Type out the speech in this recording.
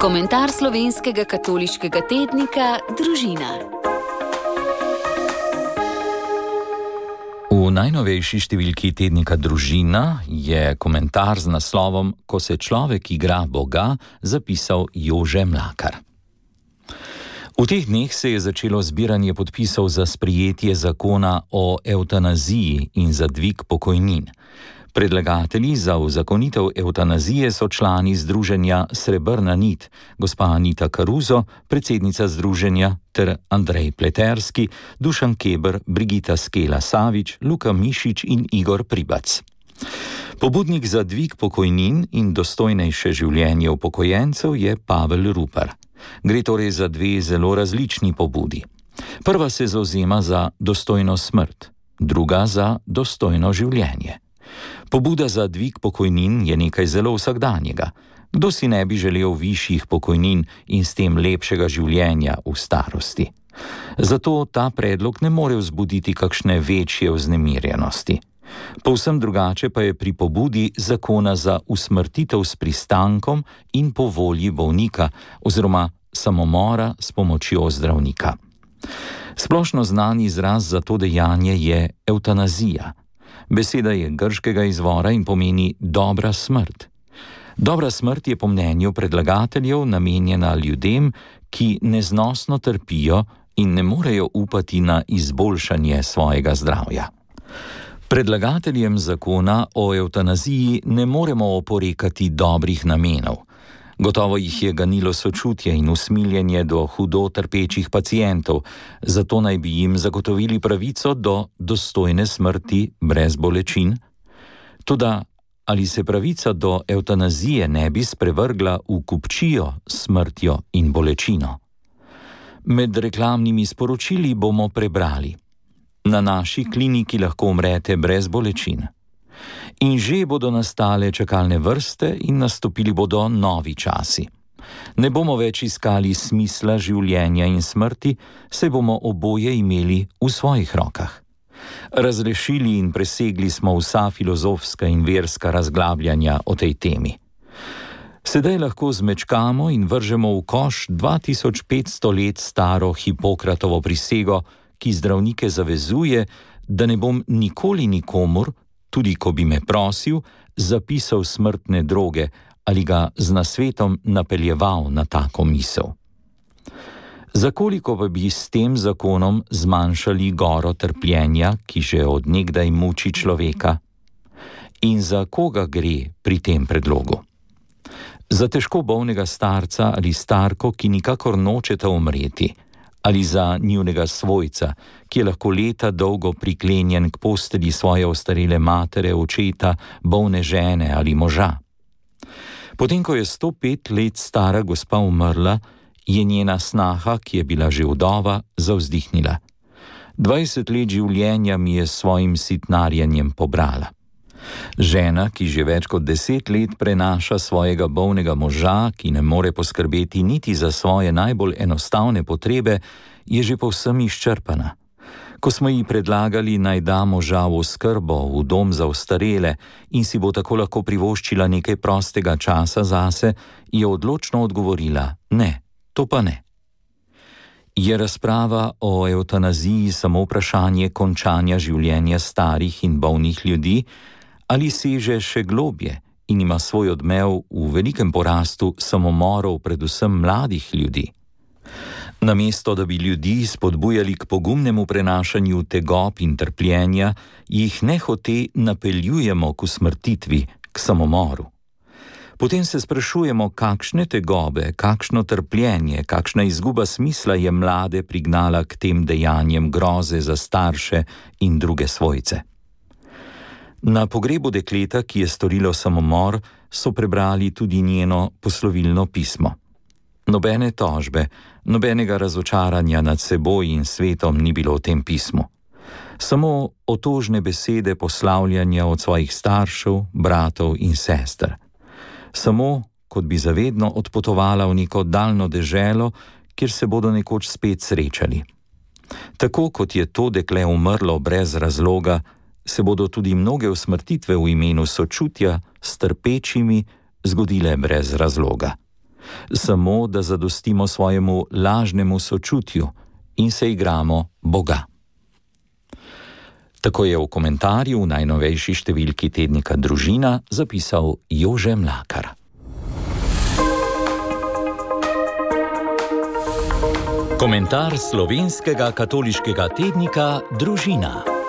Komentar slovenskega katoliškega tednika Družina. V najnovejši številki tednika Družina je komentar z naslovom Ko se človek igra Boga zapisal Jože Mlakar. V teh dneh se je začelo zbiranje podpisov za sprejetje zakona o evtanaziji in za dvig pokojnin. Predlagatelji za uzakonitev evtanazije so člani združenja Srebrna nit, gospa Anita Karuzo, predsednica združenja, ter Andrej Pleterski, Dušan Keber, Brigita Skela Savič, Luka Mišič in Igor Pribac. Pobudnik za dvig pokojnin in dostojnejše življenje upokojencev je Pavel Rupar. Gre torej za dve zelo različni pobudi. Prva se zavzema za dostojno smrt, druga za dostojno življenje. Pobuda za dvig pokojnin je nekaj zelo vsakdanjega. Kdo si ne bi želel višjih pokojnin in s tem lepšega življenja v starosti? Zato ta predlog ne more vzbuditi kakšne večje vznemirjenosti. Povsem drugače pa je pri pobudi zakona za usmrtitev s pristankom in po volji bolnika oziroma samomora s pomočjo zdravnika. Splošno znan izraz za to dejanje je evtanazija. Beseda je grškega izvora in pomeni dobra smrt. Dobra smrt je po mnenju predlagateljev namenjena ljudem, ki neznosno trpijo in ne morejo upati na izboljšanje svojega zdravja. Predlagateljem zakona o evtanaziji ne moremo oporekati dobrih namenov. Gotovo jih je ganilo sočutje in usmiljenje do hudo trpečih pacientov, zato naj bi jim zagotovili pravico do dostojne smrti brez bolečin. Toda ali se pravica do evtanazije ne bi sprevrgla v kupčijo s smrtjo in bolečino? Med reklamnimi sporočili bomo prebrali: na naši kliniki lahko umrete brez bolečin. In že bodo nastale čakalne vrste in nastopili bodo novi časi. Ne bomo več iskali smisla življenja in smrti, saj bomo oboje imeli v svojih rokah. Razrešili in presegli smo vsa filozofska in verska razglabljanja o tej temi. Sedaj lahko zmečkamo in vržemo v koš 2500 let staro Hipokratovo prisego, ki zdravnike zavezuje, da ne bom nikoli nikomur, tudi ko bi me prosil, zapisal smrtne droge ali ga z nasvetom napeljeval na tako misel. Za koliko pa bi s tem zakonom zmanjšali goro trpljenja, ki že od nekdaj muči človeka? In za koga gre pri tem predlogu? Za težko bolnega starca ali starko, ki nikakor nočeta umreti, ali za njunega svojca, ki je lahko leta dolgo priklenjen k postelji svoje ostarele matere, očeta, bolne žene ali moža. Potem, ko je 105 let stara gospa umrla, je njena snaha, ki je bila že vdova, zavzdihnila: 20 let življenja mi je s svojim sitnarjenjem pobrala. Žena, ki že več kot 10 let prenaša svojega bolnega moža, ki ne more poskrbeti niti za svoje najbolj enostavne potrebe, je že povsem izčrpana. Ko smo ji predlagali, naj da moža v oskrbo v dom za ostarele in si bo tako lahko privoščila nekaj prostega časa zase, je odločno odgovorila: ne, to pa ne. Je razprava o evtanaziji samo vprašanje končanja življenja starih in bolnih ljudi, ali seže še globje in ima svoj odmev v velikem porastu samomorov predvsem mladih ljudi? Namesto da bi ljudi spodbujali k pogumnemu prenašanju tegob in trpljenja, jih nehote napeljujemo k usmrtitvi, k samomoru. Potem se sprašujemo, kakšne tegobe, kakšno trpljenje, kakšna izguba smisla je mlade prignala k tem dejanjem groze za starše in druge svojce. Na pogrebu dekleta, ki je storilo samomor, so prebrali tudi njeno poslovilno pismo. Nobene tožbe, nobenega razočaranja nad seboj in svetom ni bilo v tem pismu. Samo otožne besede poslavljanja od svojih staršev, bratov in sester. Samo, kot bi zavedno odpotovala v neko daljno deželo, kjer se bodo nekoč spet srečali. Tako kot je to dekle umrlo brez razloga, se bodo tudi mnoge usmrtitve v imenu sočutja s trpečimi zgodile brez razloga. Samo da zadostimo svojemu lažnemu sočutju in se igramo Boga. Tako je v komentarju v najnovejši številki tednika Družina zapisal Jože Mlakar. Komentar slovenskega katoliškega tednika Družina.